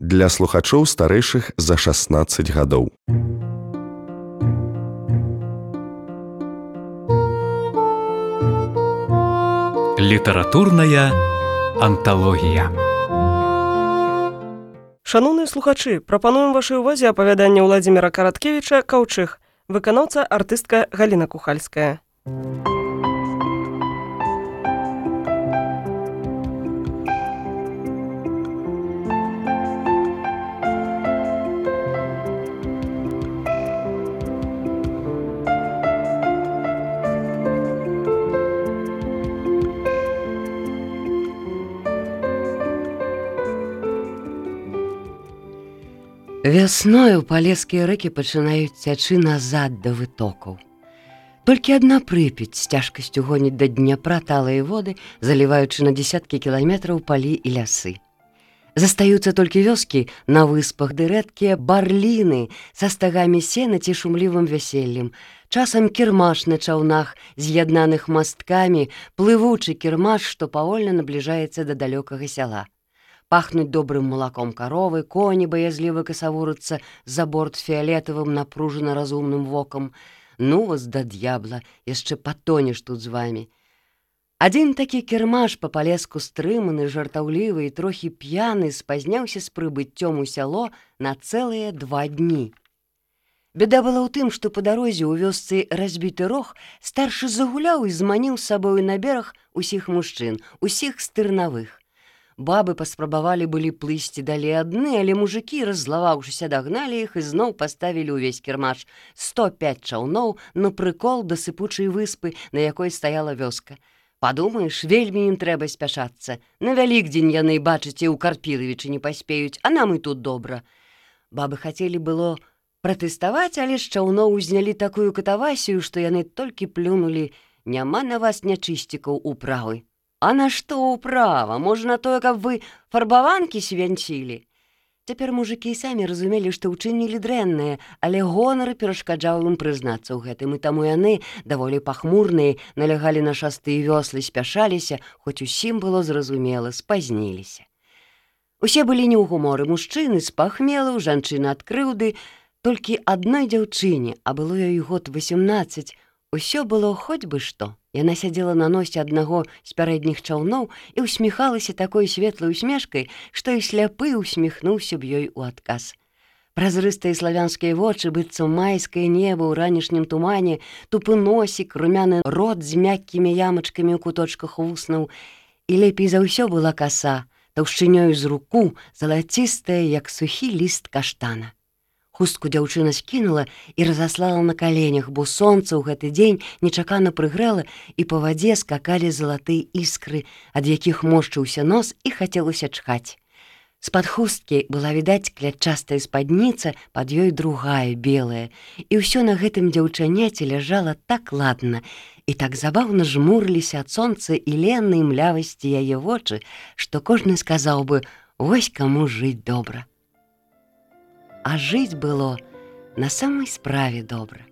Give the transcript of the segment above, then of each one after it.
Для слухачоў старэйшых за 16 гадоў. Літаратурная анталогія. Шаноўныя слухачы, прапануем вашай увазе апавяданне Ўладзіміра Караткевіча «Каўчэг», выканаўца артыстка Галіна Кухальская. Вясною палескія рэкі пачынаюць цячы назад да вытокаў. Толькі адна Прыпяць з цяжкасцю гоніць да Дняпра талыя воды, заліваючы на дзесяткі кіламетраў палі і лясы. Застаюцца толькі вёскі на выспах ды рэдкія барліны са стагамі сена ці шумлівым вяселлем. Часам кірмаш на чаўнах, з'яднаных масткамі, плывучы кірмаш, што павольна набліжаецца да далёкага сяла. Пахнуць добрым малаком каровы, коні баязліва касавурацца за борт фіялетавым напружана разумным вокам. Ну вас да д'ябла, яшчэ патонеш тут з вамі. Адзін такі кірмаш па-палеску стрыманы, жартаўлівы і трохі п'яны спазняўся з прыбыццём у сяло на цэлыя 2 дні. Бяда была ў тым, што па дарозе ў вёсцы разбіты рог старшы загуляў і зманіў з сабою на бераг усіх мужчын, усіх стырнавых. Бабы паспрабавалі былі плысці далей адны, але мужыкі, раззлаваўшыся, дагналі іх і зноў паставілі ўвесь кірмаш 105 чаўноў на прыкол да сыпучай выспы, на якой стаяла вёска. Падумаеш, вельмі ім трэба спяшацца. На Вялікдзень яны, бачыце, у Карпілавічы не паспеюць, а нам і тут добра. Бабы хацелі было пратэставаць, але з чаўноў узнялі такую катавасію, што яны толькі плюнулі: «Няма на вас нячысцікаў управы». А на што ўправа? Можа, на тое, каб вы фарбаванкі свянцілі? Цяпер мужыкі самі разумелі, што ўчынілі дрэннае, але гонар перашкаджаў ім прызнацца ў гэтым, і таму яны, даволі пахмурныя, налягалі на шасты і вёслы, спяшаліся, хоць усім было зразумела, спазніліся. Усе былі не ў гуморы, мужчыны з пахмелу, жанчыны ад крыўды, толькі адной дзяўчыне, а было ёй год 18, усё было хоць бы што. Яна сядзела на носе аднаго з пярэдніх чаўноў і ўсміхалася такой светлай усмешкай, што і сляпы усміхнуўся б ёй у адказ. Празрыстыя славянскія вочы, быццам майскае неба ў ранішнім тумане, тупы носік, румяны рот з мяккімі ямачкамі ў куточках вуснаў. І лепей за ўсё была каса, таўшчынёю з руку, залацістая, як сухі ліст каштана. Хустку дзяўчына скінула і разаслала на каленях, бо сонца ў гэты дзень нечакана прыгрэла, і па вадзе скакалі залатыя іскры, ад якіх моршчыўся нос і хацелася чхаць. З-пад хусткі была відаць клятчастая спадніца, пад ёй другая, белая, і ўсё на гэтым дзяўчаняце ляжала так ладна, і так забаўна жмурыліся ад сонца і леннай млявасці яе вочы, што кожны сказаў бы: «Вось каму жыць добра». А жыць было на самай справе добра.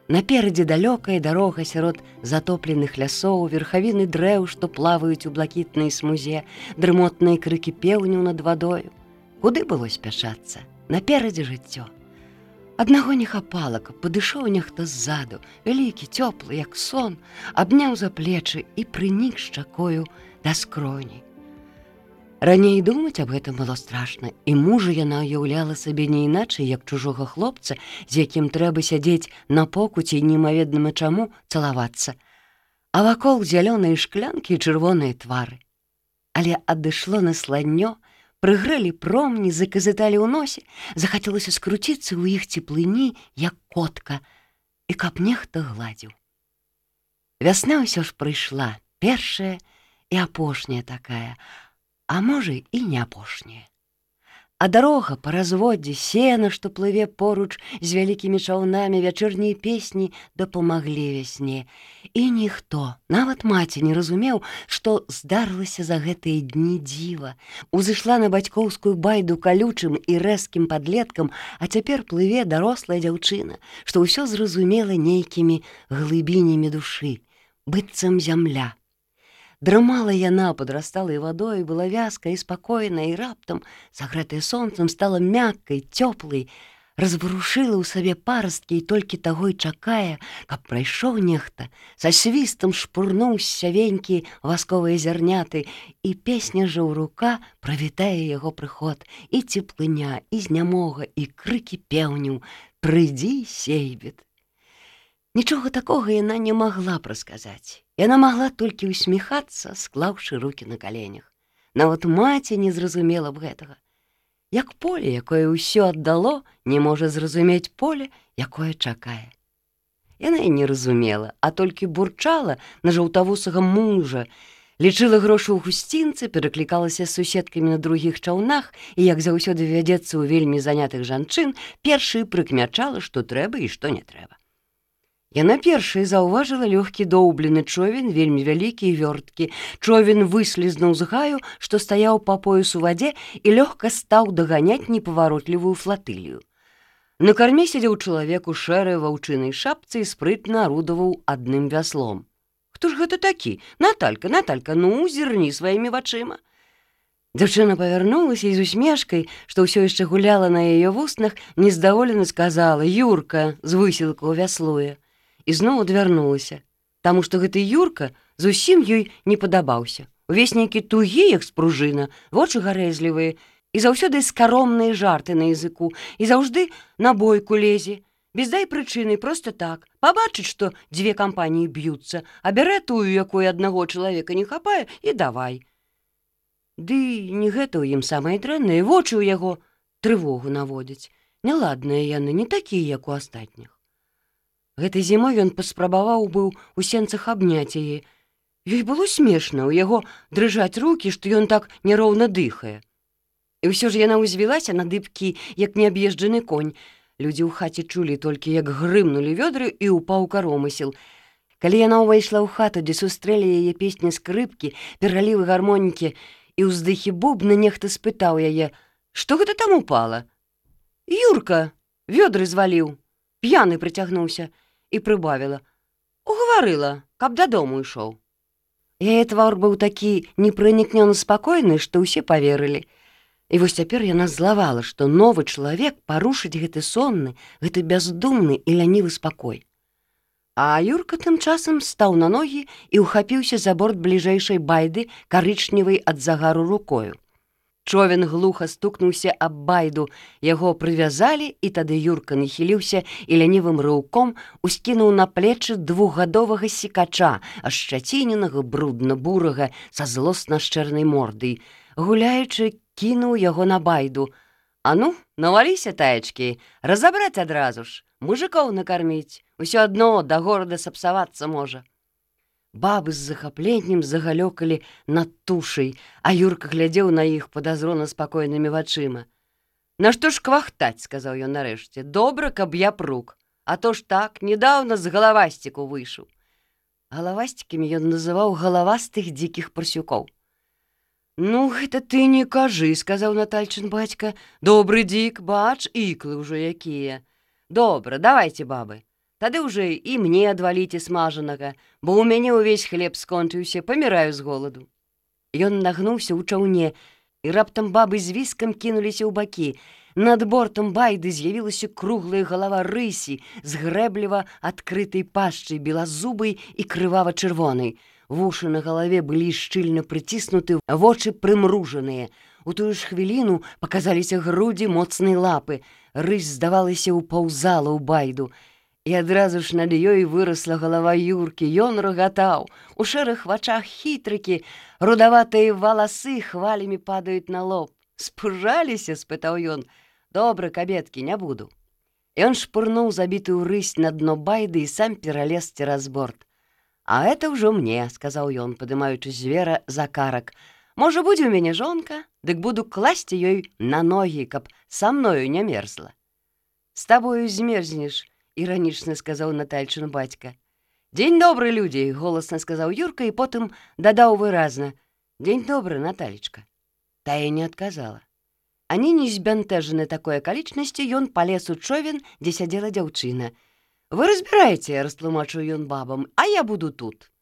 Наперадзе далёкая дарога сярод затопленых лясоў, верхавіны дрэў, што плаваюць у блакітнай смузе, дрымотныя крыкі пеўняў над вадою. Куды было спяшацца? Наперадзе жыццё. Аднаго не хапала, каб падышоў нехта ззаду, вялікі, цёплы, як сон, абняў за плечы і прынік шчакою да скроні. Раней думаць аб гэтым было страшна, і мужа яна ўяўляла сабе не іначай, як чужога хлопца, з якім трэба сядзець на покуці і немаведама чаму цалавацца. А вакол зялёныя шклянкі і чырвоныя твары. Але адышло насланнё, прыгрэлі промні, заказыталі ў носе, захацелася скруціцца ў іх цеплыні, як котка, і каб нехта гладзіў. Вясна ўсё ж прыйшла, першая і апошняя такая, а можа і не апошняя. А дарога па разводдзе, сена, што плыве поруч з вялікімі чаўнамі, вячэрнія песні дапамаглі вясне. І ніхто, нават маці, не разумеў, што здарылася за гэтыя дні дзіва. Узышла на бацькоўскую байду калючым і рэзкім падлеткам, а цяпер плыве дарослая дзяўчына, што ўсё зразумела нейкімі глыбінямі душы, быццам зямля. Драмала яна пад расталай вадой, была вязкая і спакойная, і раптам, сагрэтая сонцам, стала мяккай, цёплай, разварушыла ў сабе парасткі і толькі таго і чакае, каб прайшоў нехта, са свістам шпурнуў сявенькі васковыя зярняты, і песня жаўрука правітае яго прыход, і цеплыня, і знямога, і крыкі пеўняў: «Прыйдзі, сейбіт!» Нічога такога яна не магла прасказаць. Яна магла толькі ўсміхацца, склаўшы рукі на каленях. Нават маці не зразумела б гэтага. Як поле, якое ўсё аддало, не можа зразумець поле, якое чакае. Яна і не разумела, а толькі бурчала на жаўтавусага мужа, лічыла грошы ў гусцінцы, пераклікалася з суседкамі на другіх чаўнах і, як заўсёды вядзецца ў вельмі занятых жанчын, першай прыкмячала, што трэба і што не трэба. Яна першай заўважыла лёгкі доўблены човен, вельмі вялікі і вёрткі. Човен выслізнуў з гаю, што стаяў па пояс у вадзе, і лёгка стаў даганяць непаваротлівую флатылію. На карме сядзеў чалавек у шэрай ваўчынай шапцы і спрытна арудаваў адным вяслом. «Хто ж гэта такі? Наталька, Наталька, ну, зірні сваімі вачыма!» Дзяўчына павярнулася і з усмешкай, што ўсё яшчэ гуляла на яе вуснах, нездаволена сказала: «Юрка!» з высілкаў вяслуе. І зноў адвярнулася, таму што гэты Юрка зусім ёй не падабаўся. Увесь нейкі тугі, як спружына, вочы гарэзлівыя, і заўсёды скаромныя жарты на языку, і заўжды на бойку лезе, без дай прычыны, проста так, пабачыць, што дзве кампаніі б'юцца, а бярэ тую, якой аднаго чалавека не хапае, і давай. Ды не гэта ў ім самае дрэннае, вочы ў яго трывогу наводзяць. Няладныя яны, не такія, як у астатніх. Гэтай зімой ён паспрабаваў быў у сенцах абняць яе. Ёй было смешна, у яго дрыжаць рукі, што ён так няроўна дыхае. І ўсё ж яна ўзвілася на дыбкі, як неаб'езджаны конь. Людзі ў хаце чулі толькі, як грымнулі вёдры, і ўпаў каромысел. Калі яна ўвайшла ў хату, дзе сустрэлі яе песні скрыпкі, пералівы гармонікі і ўздыхі бубна, нехта спытаў яе: «Што гэта там упала?» «Юрка вёдры зваліў, п'яны прыцягнуўся», і прыбавіла: «Угаварыла, каб дадому ішоў». Яе твар быў такі непранікнёна спакойны, што ўсе паверылі. І вось цяпер яна злавала, што новы чалавек парушыць гэты сонны, гэты бяздумны і лянівы спакой. А Юрка тым часам стаў на ногі і ўхапіўся за борт бліжэйшай байды, карычневай ад загару рукою. Човен глуха стукнуўся аб байду, яго прывязалі, і тады Юрка нахіліўся і лянівым рыўком ускінуў на плечы двухгадовага сікача, ашчаціненага, брудна-бурага, са злосна-шчэрнай мордай. Гуляючы, кінуў яго на байду. «А ну, наваліся, таечкі, разабраць адразу ж, мужикоў накарміць, усё адно да горада сапсавацца можа». Бабы з захапленнем загалёкалі над тушай, а Юрка глядзеў на іх падазрона спакойнымі вачыма. «Нашто ж квахтаць?» — сказаў ён нарэшце. «Добра, каб я прук, а то ж так, недаўна з галавасціку выйшаў». Галавасцікамі ён называў галавастых дзікіх парсюкоў. «Ну, гэта ты не кажы», — сказаў Натальчын бацька. «Добры дзік, бач, іклы ўжо якія. Добра, давайце, бабы. Тады ўжо і мне адваліце смажанага, бо ў мяне ўвесь хлеб скончыўся, паміраю з голаду». Ён нагнуўся ў чаўне, і раптам бабы з віскам кінуліся ў бакі. Над бортам байды з'явілася круглая галава рысі з грэбліва адкрытай пашчай, белазубай і крывава-чырвонай. Вушы на галаве былі шчыльна прыціснуты, вочы прымружаныя. У тую ж хвіліну паказаліся грудзі моцнай лапы. Рысь, здавалася, упаўзала ў байду. І адразу ж над ёй вырасла галава Юркі. Ён рагатаў. У шэрых вачах хітрыкі, рудаватыя валасы хвалямі падаюць на лоб. «Спужаліся?» — спытаў ён. «Добра, кабеткі, не буду». Ён шпурнуў забітую рысь на дно байды і сам пералез цераз борт. «А это ўжо мне», — сказаў ён, падымаючы звера за карак. «Можа, будзе ў мяне жонка, дык буду класці ёй на ногі, каб са мною не мерзла». «З табою змерзнеш», — іранічна сказаў Натальчын бацька. «Дзень добры, людзі», — голасна сказаў Юрка і потым дадаў выразна: «Дзень добры, Наталечка». Тая не адказала. Ані не збянтэжаны такой акалічнасці, ён палез у човен, дзе сядзела дзяўчына. «Вы разбіраеце», — растлумачыў ён бабам, «а я буду тут».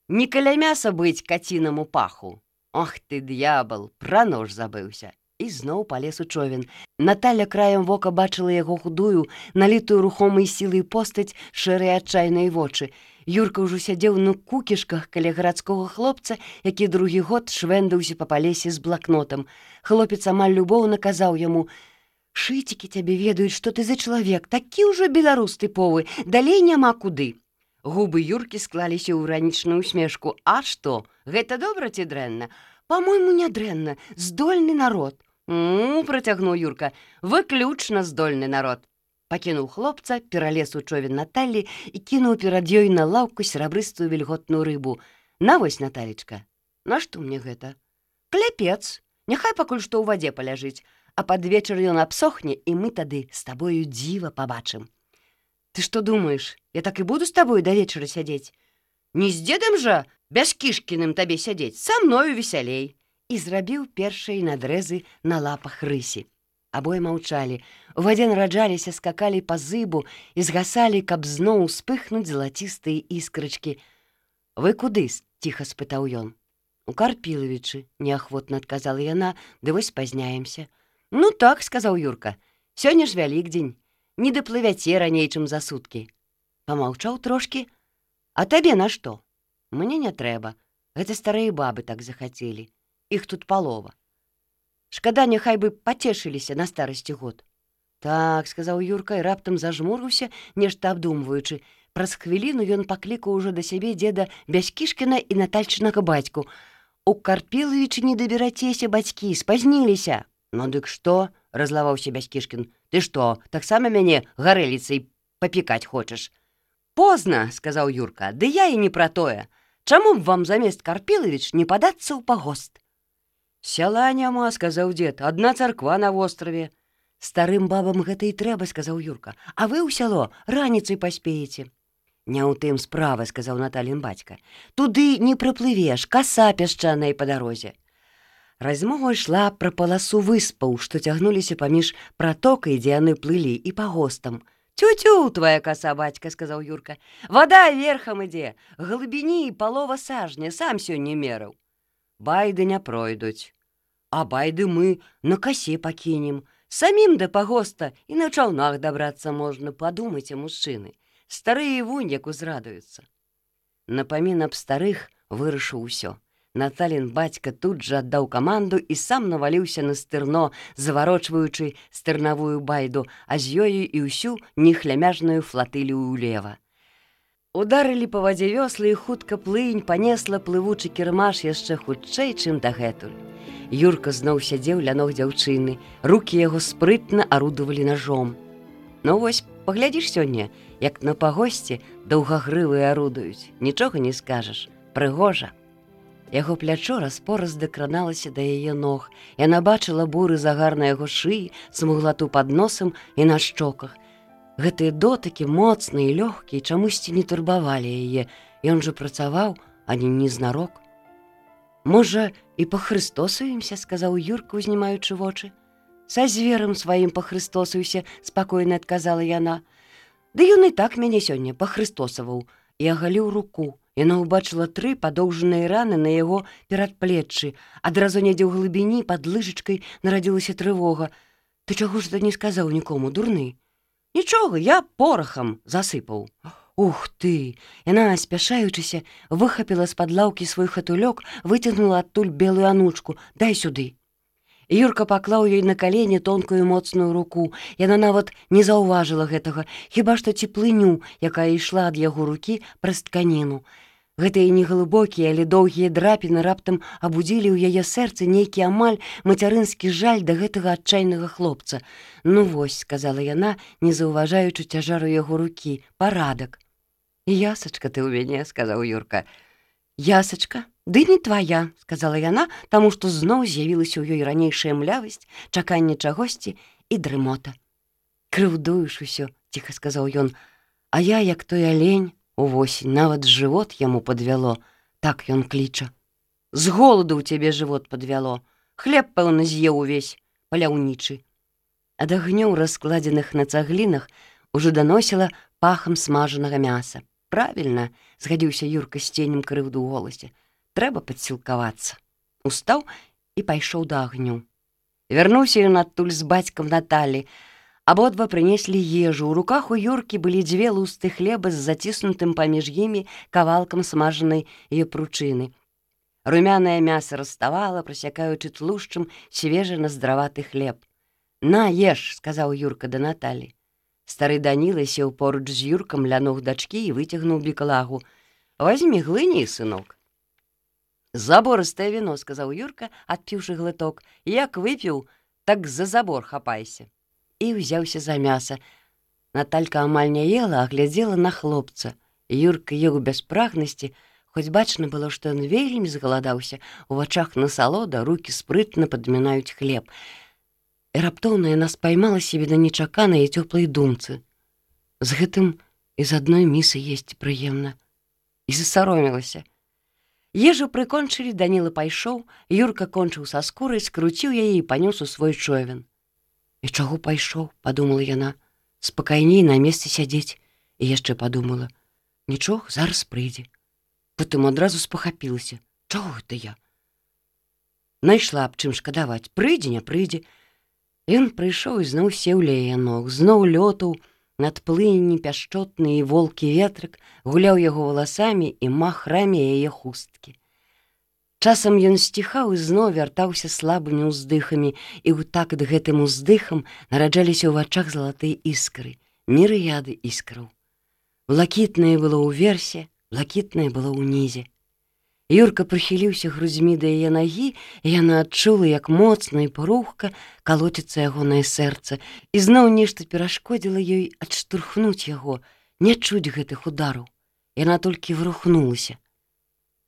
Не каля мяса быць кацінаму паху. Ох ты, д'ябал, пра нож забыўся. І зноў палез у човен. Наталя краем вока бачыла яго худую, налітую рухомай сілай постаць, шэрыя адчайныя вочы. Юрка ўжо сядзеў на кукішках каля гарадскога хлопца, які другі год швэндаўся па палесе з блакнотам. Хлопец амаль любоўна казаў яму: «Шыцікі цябе ведаюць, што ты за чалавек, такі ўжо беларус тыповы, далей няма куды». Губы Юркі склаліся ў іранічную усмешку. «А што, гэта добра ці дрэнна?» «Па-мойму, не дрэнна, здольны народ». Працягнуў Юрка, выключна здольны народ. Пакінуў хлопца, пералез у човен Наталі і кінуў перад ёй на лаўку серабрыстую вільготную рыбу. «На вось, Наталечка, нашто мне гэта?» «Кляпец, няхай пакуль што ў вадзе паляжыць, а пад вечар ён абсохне, і мы тады з табою дзіва пабачым». «Ты што думаеш, я так і буду з табою да вечара сядзець? Не з дзедам жа Бяскішкіным табе сядзець, са мною весялей». І зрабіў першыя надрэзы на лапах рысі. Абое маўчалі. У вадзе нараджаліся, скакалі па зыбу і згасалі, каб зноў успыхнуць залацістыя іскрачкі. «Вы куды?» – ціха спытаў ён. «У Карпілавічы», – неахвотна адказала яна, «ды вось спазняемся». «Ну так», – сказаў Юрка, – «сёння ж Вялікдзень, не даплывяце раней, чым за суткі». Памаўчаў трошкі. «А табе на што?» «Мне не трэба. Гэта старыя бабы так захацелі. Іх тут палова. Шкада, няхай бы пацешыліся на старасці год». «Так», – сказаў Юрка і раптам зажмурыўся, нешта абдумваючы. Праз хвіліну ён паклікаў ужо да сябе дзеда Бяскішкіна і Натальчынага бацьку. «У Карпілавічы не даберацеся, бацькі, спазніліся». «Ну дык што?» – разлаваўся Бяскішкін. «Ты што, таксама мяне гарэліцай папікаць хочаш?» «Позна», – сказаў Юрка, – «ды я і не пра тое. Чаму б вам замест Карпілавіч не падацца ў пагост?» «Сяла няма», – сказаў дзед, – «адна царква на востраве». «Старым бабам гэта і трэба», – сказаў Юрка, – «а вы ў сяло раніцай паспееце». «Не ў тым справа», – сказаў Наталін бацька. «Туды не прыплывеш, каса пясчаная па дарозе». Размова ішла пра паласу выспаў, што цягнуліся паміж пратокай, дзе яны плылі, і пагостам. «Тю-тю, твоя коса, бацька», – сказаў Юрка. «Вода верхам ідзе, глыбіні і палова сажня, сам сёння мераў». «Байды не пройдуць». «А байды мы на косе пакінем. Самім да пагоста і на чаўнах дабрацца можна, падумайце, мужчыны. Старыя вунь як узрадуюцца». Напамін аб старых вырашыў усё. Наталін бацька тут жа аддаў каманду і сам наваліўся на стырно, заварочваючы стырнавую байду, а з ёю і ўсю нехлямяжную флатылію ўлева. Ударылі па вадзе вёслы, і хутка плынь панесла плывучы кірмаш яшчэ хутчэй, чым дагэтуль. Юрка зноў сядзеў ля ног дзяўчыны, рукі яго спрытна арудавалі нажом. «Ну вось, паглядзіш сёння, як на пагосце даўгагрывыя арудуюць, нічога не скажаш, прыгожа». Яго плячо распораз дакраналася да яе ног. Яна бачыла буры загар на яго шыі, смуглату пад носам і на шчоках. Гэтыя дотыкі, моцныя і лёгкія, чамусьці не турбавалі яе. Ён жа працаваў, а не незнарок. «Можа, і пахрыстосуемся», – сказаў Юрка, узнімаючы вочы. «Са зверам сваім пахрыстосуйся», – спакойна адказала яна. «Ды ён і так мяне сёння пахрыстосаваў». І агаліў руку. Яна ўбачыла 3 падоўжаныя раны на яго перадплеччы. Адразу недзе ў глыбіні пад лыжачкай нарадзілася трывога. «Ты чаго ж не сказаў нікому, дурны?» «Нічога, я порахам засыпаў». «Ух ты!» Яна, спяшаючыся, выхапіла з-пад лаўкі свой хатулёк, выцягнула адтуль белую анучку. «Дай сюды». Юрка паклаў ёй на калені тонкую моцную руку. Яна нават не заўважыла гэтага, хіба што цеплыню, якая ішла ад яго рукі праз тканіну. Гэтыя неглыбокія, але доўгія драпіны раптам абудзілі ў яе сэрцы нейкі амаль мацярынскі жаль да гэтага адчайнага хлопца. «Ну вось», – сказала яна, не заўважаючы цяжару яго рукі, – «парадак». «Ясачка ты ў мяне», – сказаў Юрка. «Ясачка? Ды не твая», – сказала яна, таму што зноў з'явілася ў ёй ранейшая млявасць, чаканне чагосьці і дрымота. «Крыўдуеш усё», – ціха сказаў ён, – «а я, як той алень, увосень, нават жывот яму падвяло, так ён кліча». «З голаду ў цябе жывот падвяло, хлеб, пэўна, з'еў увесь, паляўнічы». Ад агнёў, раскладзеных на цаглінах, ужо даносіла пахам смажанага мяса. Правільна, згадзіўся Юрка з ценем крыўду ў голасе. Трэба падсілкавацца. Устаў і пайшоў да агню. Вярнуўся ён адтуль з бацькам Наталі. Абодва прынеслі ежу. У руках у Юркі былі 2 лусты хлеба з заціснутым паміж імі кавалкам смажанай япручыны. Румянае мяса раставала, прасякаючы тлушчам свежы наздраваты хлеб. «На, еш», — сказаў Юрка да Наталі. Стары Даніла сеў поруч з Юркам ля ног дачкі і выцягнуў біклагу. «Вазьмі глыні, сынок». «Заборыстае віно», — сказаў Юрка, адпіўшы глыток. «Як выпіў, так за забор хапайся». І ўзяўся за мяса. Наталька амаль не ела, а глядзела на хлопца. Юрка еў без прагнасці, хоць бачна было, што ён вельмі згаладаўся. У вачах насалода, рукі спрытна падмінаюць хлеб. І раптоўна яна спаймала сябе на нечаканай і цёплай думцы. З гэтым і з адной місы есці прыемна. І засаромілася. Ежу прыкончылі, Даніла пайшоў, Юрка кончыў са скурай, скруціў яе і панёс у свой човен. «І чаго пайшоў?» — падумала яна. «Спакайней на месцы сядзець». І яшчэ падумала. «Нічога, зараз прыйдзе». Потым адразу спахапілася. «Чаго гэта я?» Найшла аб чым шкадаваць. Прыйдзе, не прыйдзе. Ён прыйшоў і зноў сеў ля яе ног, зноў лётаў над плынні пяшчотны і волкі ветрык, гуляў яго валасамі і махрамі яе хусткі. Часам ён сціхаў і зноў вяртаўся слабымі ўздыхамі, і ў такт гэтым уздыхам нараджаліся ў вачах залатыя іскры, мірыяды іскраў. Блакітнае было ўверсе, блакітнае было ўнізе. Юрка прыхіліўся грудзьмі да яе нагі, і яна адчула, як моцна і парухка калоціцца ягонае сэрца, і зноў нешта перашкодзіла ёй адштурхнуць яго, не чуць гэтых удараў. Яна толькі врухнулася.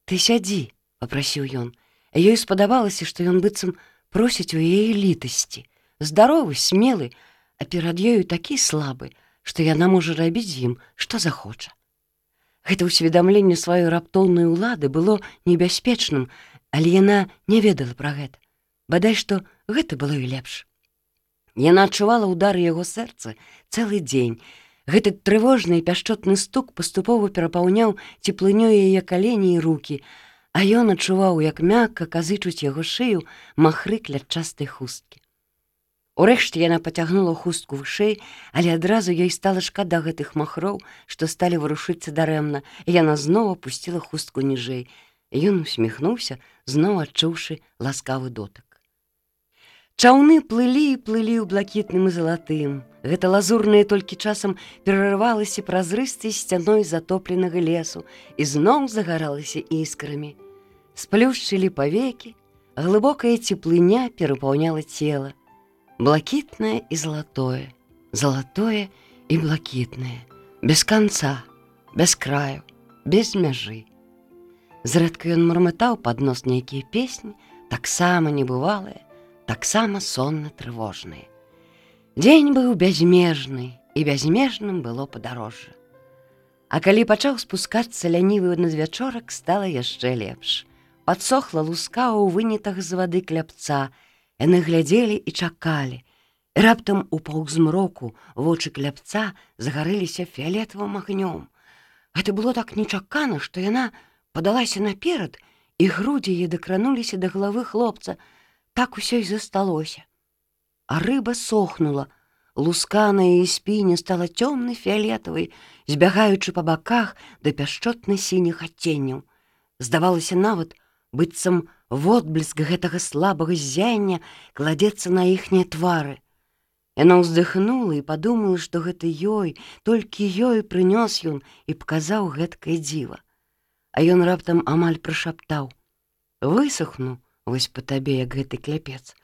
«Ты сядзі», — папрасіў ён. Ёй спадабалася, што ён быццам просіць у яе літасці. Здаровы, смелы, а перад ёю такі слабы, што яна можа рабіць з ім, што захоча. Гэта ўсведамленне сваёй раптоўнай улады было небяспечным, але яна не ведала пра гэта. Бадай што гэта было і лепш. Яна адчувала ўдары яго сэрца цэлы дзень. Гэты трывожны і пяшчотны стук паступова перапаўняў цеплынёй яе калені і рукі, а ён адчуваў, як мякка казычуць яго шыю махры клятчастай хусткі. Урэшце яна пацягнула хустку вышэй, але адразу ёй стала шкада гэтых махроў, што сталі варушыцца дарэмна, і яна зноў апусціла хустку ніжэй. Ён усміхнуўся, зноў адчуўшы ласкавы дотык. Чаўны плылі і плылі ў блакітным і залатым. Гэта лазурнае толькі часам перарывалася празрыстай сцяной затопленага лесу і зноў загаралася іскрамі. Сплюшчылі павекі, глыбокая цеплыня перапаўняла цела. Блакітнае і залатое, залатое і блакітнае, без канца, без краю, без мяжы. Зрэдка ён мармытаў пад нос нейкія песні, таксама небывалыя, таксама сонна-трывожныя. Дзень быў бязмежны, і бязмежным было падарожжа. А калі пачаў спускацца лянівы надвячорак, стала яшчэ лепш. Падсохла луска ў вынятах з вады кляпца. Яны глядзелі і чакалі. І раптам у паўзмроку вочы кляпца загарэліся фіялетавым агнём. Гэта было так нечакана, што яна падалася наперад, і грудзі яе дакрануліся да галавы хлопца. Так усё і засталося. А рыба сохнула. Луска на яе спіне стала цёмнай фіялетавай, збягаючы па баках да пяшчотна-сініх адценняў. Здавалася нават, быццам водбліск гэтага слабага ззяння кладзецца на іхнія твары. Яна ўздыхнула і падумала, што гэта ёй, толькі ёй прынёс ён і паказаў гэткае дзіва. А ён раптам амаль прашаптаў: «Высохну вось па табе, як гэты кляпец.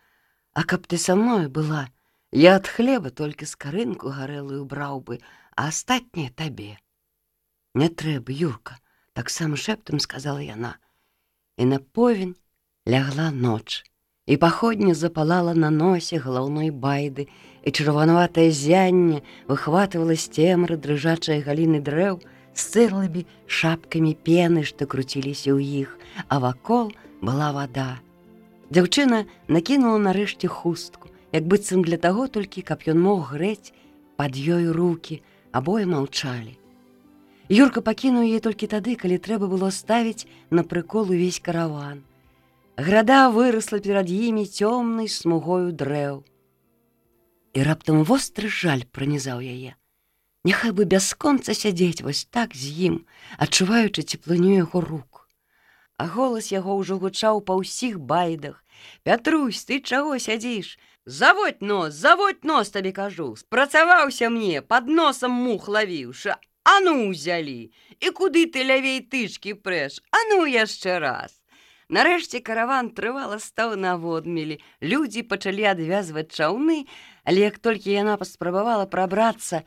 А каб ты са мною была, я ад хлеба толькі скарынку гарэлую браў бы, а астатняе табе». «Не трэба, Юрка», — таксама шэптам сказала яна. І на повень лягла ноч, і паходня запалала на носе галаўной байды, і чырванаватае зянне выхватывала з цемры дрыжачыя галіны дрэў з цырлымі шапкамі пены, што круціліся ў іх, а вакол была вада. Дзяўчына накінула нарэшце хустку, як быццам для таго толькі, каб ён мог грэць пад ёю рукі, абое маўчалі. Юрка пакінуў яе толькі тады, калі трэба было ставіць на прыкол увесь караван. Града вырасла перад імі цёмнай смугою дрэў. І раптам востры жаль пранізаў яе. Няхай бы бясконца сядзець вось так з ім, адчуваючы цеплыню яго рук. А голас яго ўжо гучаў па ўсіх байдах. «Пятрусь, ты чаго сядзіш? Заводь нос, табе кажу. Спрацаваўся мне, пад носам мух лавіўшы. А ну ўзялі! І куды ты лявей тычкі прэш? А ну яшчэ раз!» Нарэшце караван трывала стаў на водмелі. Людзі пачалі адвязваць чаўны, але як толькі яна паспрабавала прабрацца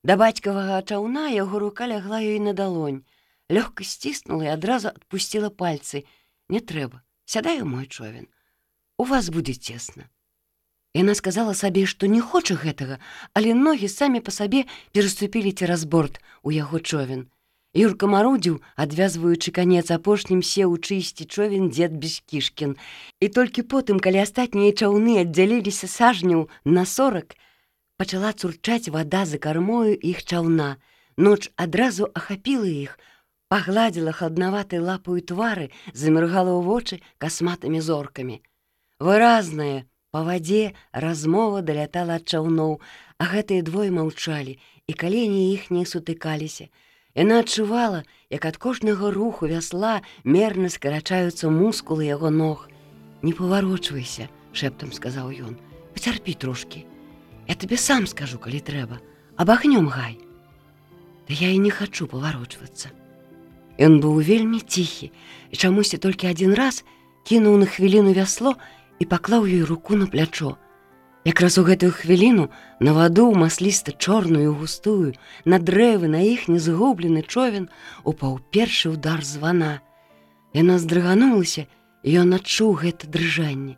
да бацькавага чаўна, яго рука лягла ёй на далонь. Лёгка сціснула і адразу адпусціла пальцы. «Не трэба, сядай у мой човен. У вас будзе цесна». Яна сказала сабе, што не хоча гэтага, але ногі самі па сабе пераступілі цераз борт у яго човен. Юрка марудзіў, адвязваючы канец, апошнім сеў у чысці човен дзед Бескішкін. І толькі потым, калі астатнія чаўны аддзяліліся сажняў на 40, пачала цурчаць вада за кармою іх чаўна. Ноч адразу ахапіла іх, пагладзіла хладнаватай лапаю твары, заміргала ў вочы касматымі зоркамі. Выразная па вадзе размова далятала ад чаўноў, а гэтыя двое маўчалі, і калені іх не сутыкаліся. Яна адчувала, як ад кожнага руху вясла мерна скарачаюцца мускулы яго ног. «Не паварочвайся», — шэптам сказаў ён. «Пацярпі трошкі. Я табе сам скажу, калі трэба. Абагнём гай». «Да я і не хачу паварочвацца». Ён быў вельмі ціхі і чамусьці толькі адзін раз кінуў на хвіліну вясло і паклаў ёй руку на плячо. Якраз у гэтую хвіліну на ваду, масліста-чорную, густую, на дрэвы, на іхні згублены човен упаў першы ўдар звана. Яна здрыганулася, і ён адчуў гэта дрыжанне.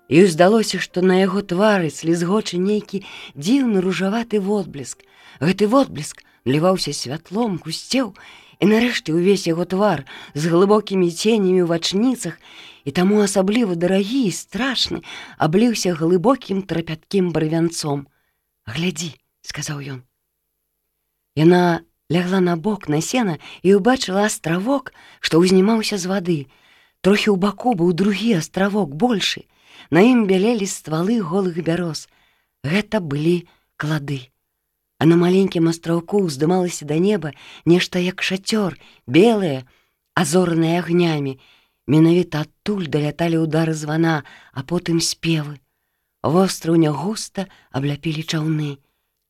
Ёй здалося, што на яго твары слізгочы нейкі дзіўны ружаваты водбліск. Гэты водбліск наліваўся святлом, гусцеў, і нарэшце ўвесь яго твар з глыбокімі ценямі ў вачніцах і таму асабліва дарагі і страшны абліўся глыбокім трапяткім барвянцом. «Глядзі», — сказаў ён. Яна лягла на бок на сена і ўбачыла астравок, што ўзнімаўся з вады. Трохі ў баку быў другі астравок, большы. На ім бялелі ствалы голых бяроз. Гэта былі клады. А на маленькім астраўку ўздымалася да неба нешта як шацёр, белае, азоранае агнямі. Менавіта адтуль даляталі ўдары звана, а потым спевы. Востраўня густа абляпілі чаўны.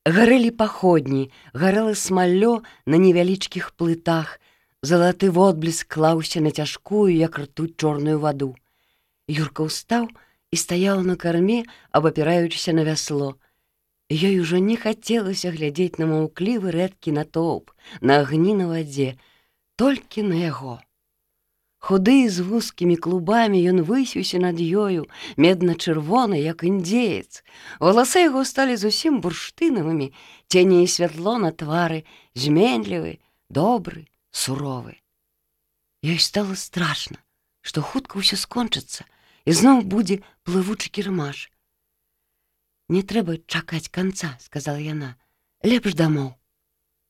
Гарэлі паходні, гарэла смаллё на невялічкіх плытах. Залаты водбліск клаўся на цяжкую, як ртуць, чорную ваду. Юрка ўстаў і стаяў на карме, абапіраючыся на вясло. Ёй ужо не хацелася глядзець на маўклівы рэдкі натоўп, на агні на вадзе, толькі на яго. Худы з вузкімі клубамі ён высіўся над ёю, медна-чырвоны, як індзеец. Валасы яго сталі зусім бурштынавымі, цені і святло на твары, зменлівы, добры, суровы. Ёй стала страшна, што хутка ўсё скончыцца, і зноў будзе плывучы кірмаш. «Не трэба чакаць канца», — сказала яна, — «лепш дамоў».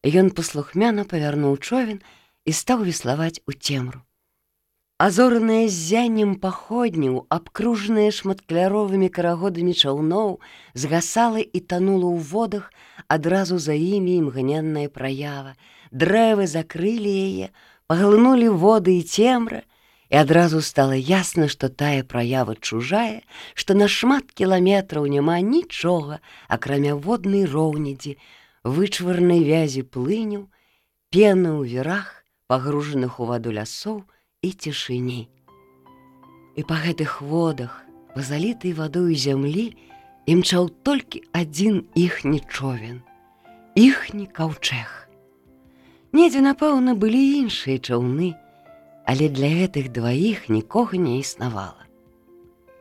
Ён паслухмяна павярнуў човен і стаў веславаць у цемру. Азоранае ззяннем паходняў, абкружанае шматкаляровымі карагодамі чаўноў, згасала і танула ў водах адразу за імі імгненная праява. Дрэвы закрылі яе, паглынулі воды і цемра, і адразу стала ясна, што тая праява чужая, што на шмат кіламетраў няма нічога, акрамя воднай роўнядзі, вычварнай вязі плыняў, пены ў вірах, пагружаных у ваду лясоў і цішыні. І па гэтых водах, па залітай вадою зямлі, імчаў толькі адзін іхні човен, іхні каўчэг. Недзе, напэўна, былі іншыя чаўны, але для гэтых дваіх нікога не існавала.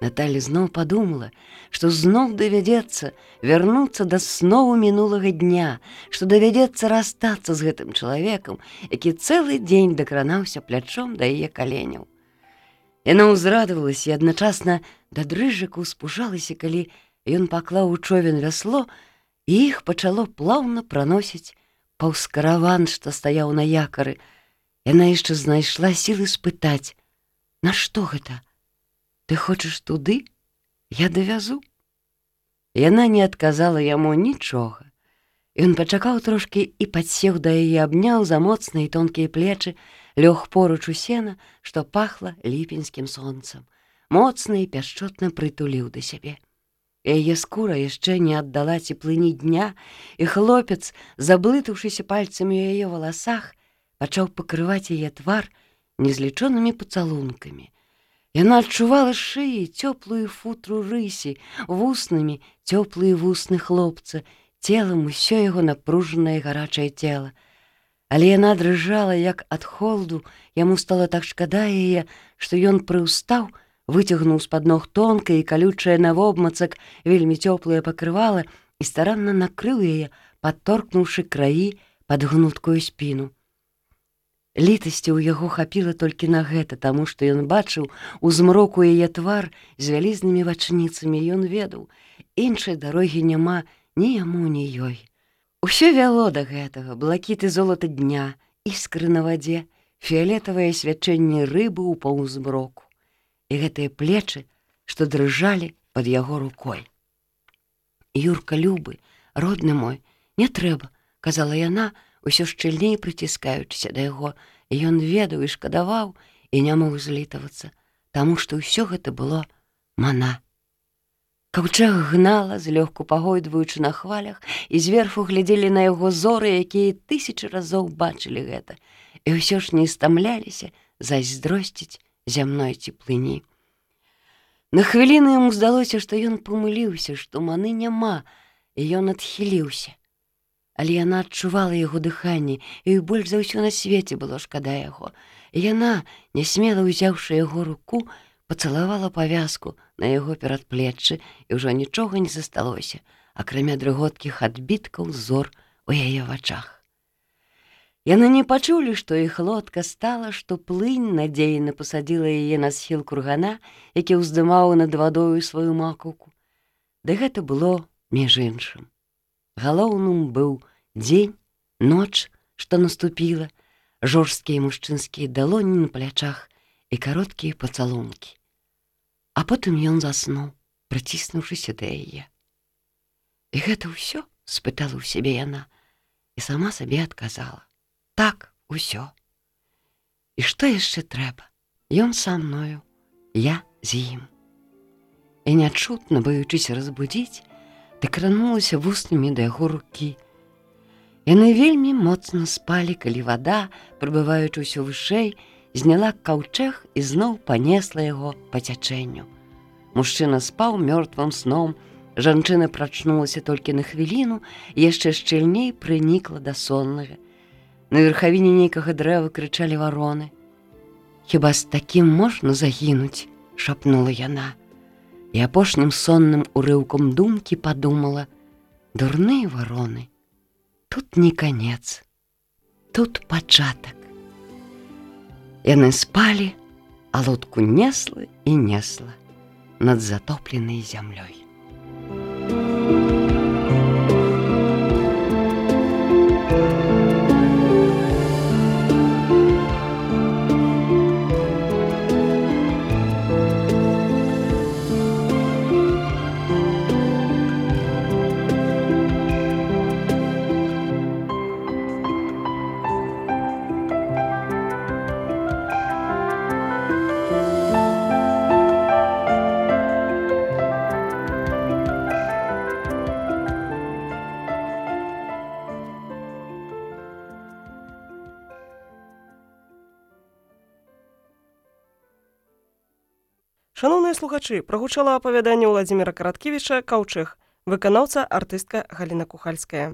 Наталя зноў падумала, што зноў давядзецца вярнуцца да снову мінулага дня, што давядзецца расстацца з гэтым чалавекам, які цэлы дзень дакранаўся плячом да яе каленяў. Яна ўзрадавалася і адначасна да дрыжыку ўспужалася, калі ён паклаў у човен вясло, і іх пачало плаўна праносіць паўз караван, што стаяў на якары, яна яшчэ знайшла сілы спытаць: «Нашто гэта? Ты хочаш туды? Я давязу?» Яна не адказала яму нічога. Ён пачакаў трошкі і падсеў да яе, абняў за моцныя і тонкія плечы, лёг поруч у сена, што пахла ліпеньскім сонцам, моцна і пяшчотна прытуліў да сябе. Яе скура яшчэ не аддала цеплыні дня, і хлопец, заблытаўшыся пальцамі ў яе валасах, пачаў пакрываць яе твар незлічонымі пацалункамі. Яна адчувала шыі цёплую футру рысі, вуснамі цёплыя вусны хлопца, целам усё яго напружанае гарачае цела. Але яна дрыжала, як ад холоду, яму стала так шкада яе, што ён прыўстаў, выцягнуў з-пад ног тонкае і калючае навобмацак вельмі цёплае пакрывала і старанна накрыў яе, падторкнуўшы краі пад гнуткую спіну. Літасці ў яго хапіла толькі на гэта, таму што ён бачыў у змроку яе твар з вялізнымі вачніцамі, ён ведаў, іншай дарогі няма ні яму, ні ёй. Усё вяло да гэтага: блакіт і золата дня, іскры на вадзе, фіялетавае свячэнне рыбы ў паўзмроку і гэтыя плечы, што дрыжалі пад яго рукой. «Юрка, любы, родны мой, не трэба», — казала яна, усё шчыльней прыціскаючыся да яго, і ён ведаў і шкадаваў, і не мог злітавацца, таму што ўсё гэта было мана. Каўчэг гнала, злёгку пагойдваючы на хвалях, і зверху глядзелі на яго зоры, якія тысячы разоў бачылі гэта, і ўсё ж не стамляліся зайздросціць зямной цеплыні. На хвіліну яму здалося, што ён памыліўся, што маны няма, і ён адхіліўся. Але яна адчувала яго дыханне, і больш за ўсё на свеце было шкада яго. І яна, нясмела ўзяўшы яго руку, пацалавала павязку на яго перадплеччы, і ўжо нічога не засталося, акрамя дрыготкіх адбіткаў зор у яе вачах. Яны не пачулі, што іх лодка стала, што плынь надзейна пасадзіла яе на схіл кургана, які ўздымаў над вадою сваю макаўку. Ды гэта было між іншым. Галоўным быў дзень, ноч, што наступіла, жорсткія мужчынскія далоні на плячах і кароткія пацалункі. А потым ён заснуў, прыціснуўшыся да яе. «І гэта ўсё?» — спытала ў сябе яна, і сама сабе адказала: «Так, усё. І што яшчэ трэба? Ён са мною, я з ім». І нячутна, баючыся разбудзіць, дакранулася вуснамі да яго рукі. Яны вельмі моцна спалі, калі вада, прыбываючы ўсё вышэй, зняла каўчэг і зноў панесла яго па цячэнню. Мужчына спаў мёртвым сном, жанчына прачнулася толькі на хвіліну і яшчэ шчыльней прынікла да соннага. На верхавіне нейкага дрэва крычалі вароны. «Хіба з такім можна загінуць?» — шапнула яна. І апошнім сонным урыўком думкі падумала: «Дурныя вароны, тут не канец, тут пачатак». Яны спалі, а лодку несла і несла над затопленай зямлёй. Шановныя слухачы, прагучала апавяданне Уладзіміра Караткевіча «Каўчэг», выканаўца артыстка Галіна Кухальская.